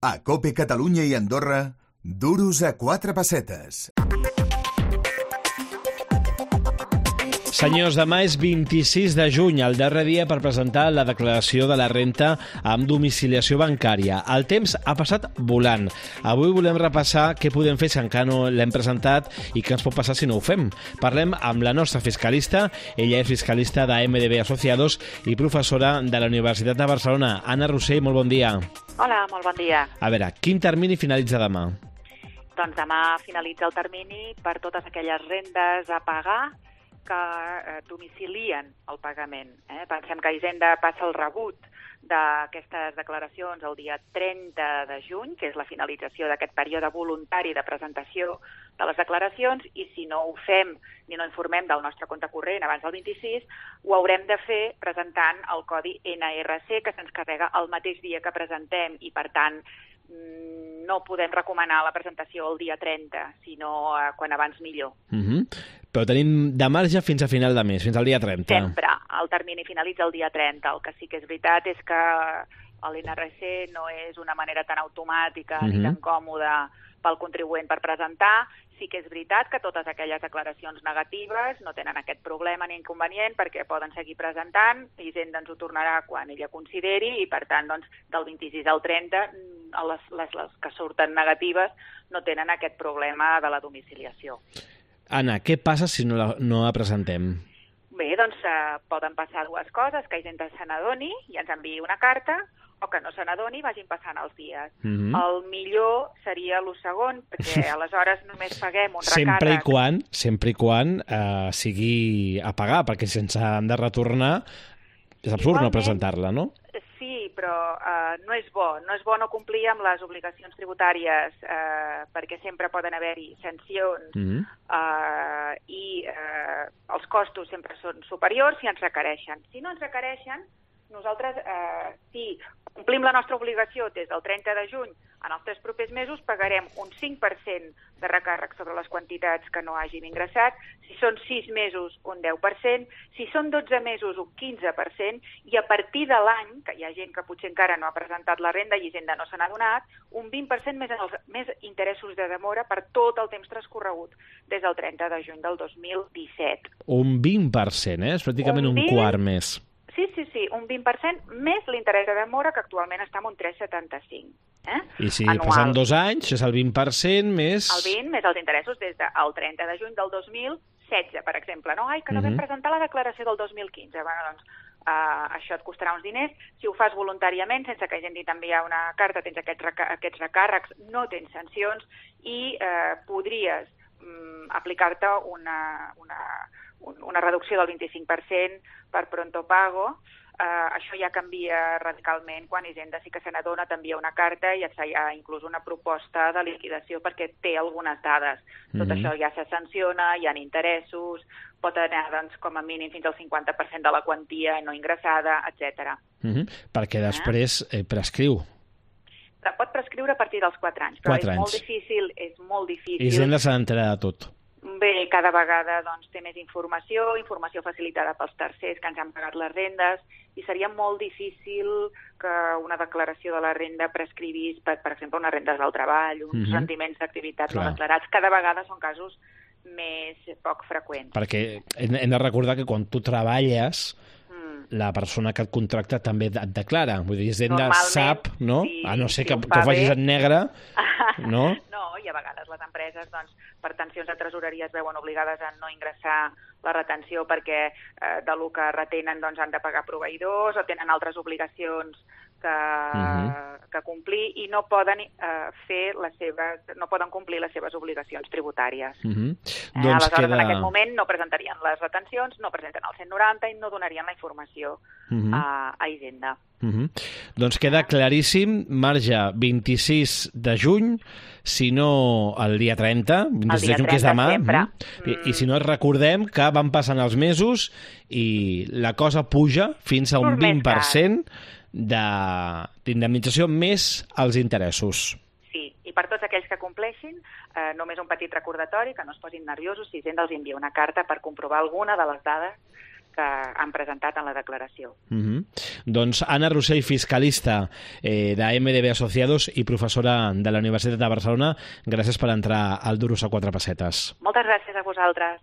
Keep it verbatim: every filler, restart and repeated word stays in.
A COPE Catalunya i Andorra, duros a quatre pessetes. Senyors, demà és vint-i-sis de juny, el darrer dia per presentar la declaració de la renta amb domiciliació bancària. El temps ha passat volant. Avui volem repassar què podem fer si encara no l'hem presentat i què ens pot passar si no ho fem. Parlem amb la nostra fiscalista. Ella és fiscalista de M D B Asociados i professora de la Universitat de Barcelona. Anna Rossell, molt bon dia. Hola, molt bon dia. A veure, quin termini finalitza demà? Doncs demà finalitza el termini per totes aquelles rendes a pagar que eh, domicilien el pagament. Eh? Pensem que Hisenda passa el rebut d'aquestes declaracions el dia trenta de juny, que és la finalització d'aquest període voluntari de presentació de les declaracions, i si no ho fem ni no informem del nostre compte corrent abans del vint-i-sis, ho haurem de fer presentant el codi N R C, que se'ns carrega el mateix dia que presentem, i per tant no podem recomanar la presentació el dia trenta, sinó eh, quan abans millor. Uh-huh. Però tenim de marge fins a final de mes, fins al dia trenta. Sempre. El termini finalitza el dia trenta. El que sí que és veritat és que l'N R C no és una manera tan automàtica uh-huh. ni tan còmoda pel contribuent per presentar. Sí que és veritat que totes aquelles declaracions negatives no tenen aquest problema ni inconvenient perquè poden seguir presentant, Hisenda ens ho tornarà quan ella consideri i, per tant, doncs, del vint-i-sis al trenta, les, les, les que surten negatives no tenen aquest problema de la domiciliació. Anna, què passa si no la, no la presentem? Bé, doncs eh, poden passar dues coses, que Hisenda se n'adoni i ens enviï una carta, o que no se n'adoni i vagin passant els dies. Mm-hmm. El millor seria el segon, perquè aleshores només paguem un recàrrec. Sempre i quan, sempre i quan eh, sigui a pagar, perquè sense han de retornar és absurd Igualment, no presentar-la, no? Sí, però eh, no és bo. No és bo no complir amb les obligacions tributàries eh, perquè sempre poden haver-hi sancions mm-hmm. eh, i eh, els costos sempre són superiors si ens requereixen. Si no ens requereixen, nosaltres, eh, si complim la nostra obligació des del trenta de juny, en els tres propers mesos pagarem un cinc per cent de recàrrec sobre les quantitats que no hagin ingressat, si són sis mesos un deu per cent, si són dotze mesos un quinze per cent, i a partir de l'any, que hi ha gent que potser encara no ha presentat la renda i Hisenda no se n'ha donat, un vint per cent més, en els, més interessos de demora per tot el temps transcorregut des del trenta de juny del dos mil disset. Un vint per cent, eh? És pràcticament un, un quart més. Sí, sí, sí, un vint per cent més l'interès de demora, que actualment està en un tres coma setanta-cinc. Eh? I si Anual. Passen dos anys, és el vint per cent més... El vint més els interessos des del trenta de juny del dos mil setze, per exemple. No? Ai, que no uh-huh. vam presentar la declaració del dos mil quinze. Bueno, doncs, uh, això et costarà uns diners. Si ho fas voluntàriament, sense que hagi d'enviar una carta, tens aquests, reca- aquests recàrrecs, no tens sancions i uh, podries um, aplicar-te una... una una reducció del vint-i-cinc per cent per pronto pago. Uh, això ja canvia radicalment quan Hisenda sí que se n'adona, t'envia una carta i et fa ja inclús una proposta de liquidació perquè té algunes dades. Tot mm-hmm. això ja se sanciona, hi ha interessos, pot anar doncs, com a mínim fins al cinquanta per cent de la quantia no ingressada, etcètera. Mm-hmm. Perquè després eh, prescriu. Pot prescriure a partir dels quatre anys, però quatre és anys. molt difícil, és molt difícil. Hisenda se n'enterarà de tot. Bé, cada vegada doncs, té més informació, informació facilitada pels tercers que ens han pagat les rendes, i seria molt difícil que una declaració de la renda prescrivís, per, per exemple, unes rendes del treball, uns mm-hmm. rendiments d'activitats no declarats. Cada vegada són casos més poc freqüents. Perquè hem de recordar que quan tu treballes, la persona que et contracta també et declara. Vull dir, Hisenda sap, no? Sí, a no ser que, que ho facis en negre, no? No, i a vegades les empreses, doncs, per tensions de tresoreria es veuen obligades a no ingressar la retenció perquè eh, de lo que retenen doncs, han de pagar proveïdors o tenen altres obligacions que, uh-huh. que complir i no poden eh, fer les seves, no poden complir les seves obligacions tributàries. Uh-huh. Eh, doncs aleshores, queda... en aquest moment no presentarien les retencions, no presenten el cent noranta i no donarien la informació uh-huh. a, a Hisenda. Uh-huh. Doncs queda claríssim, marge vint-i-sis de juny, si no el dia trenta, vint-i-sis de juny, que és demà, mm. I, i si no recordem que van passant els mesos i la cosa puja fins a un vint per cent d'indemnització més els interessos. Sí, i per tots aquells que compleixin, eh, només un petit recordatori, que no es posin nerviosos si Hisenda els envia una carta per comprovar alguna de les dades que han presentat en la declaració. Uh-huh. Doncs Anna Rossell, fiscalista eh, de M D B Asociados i professora de la Universitat de Barcelona, gràcies per entrar al Duros a quatre pessetes. Moltes gràcies a vosaltres.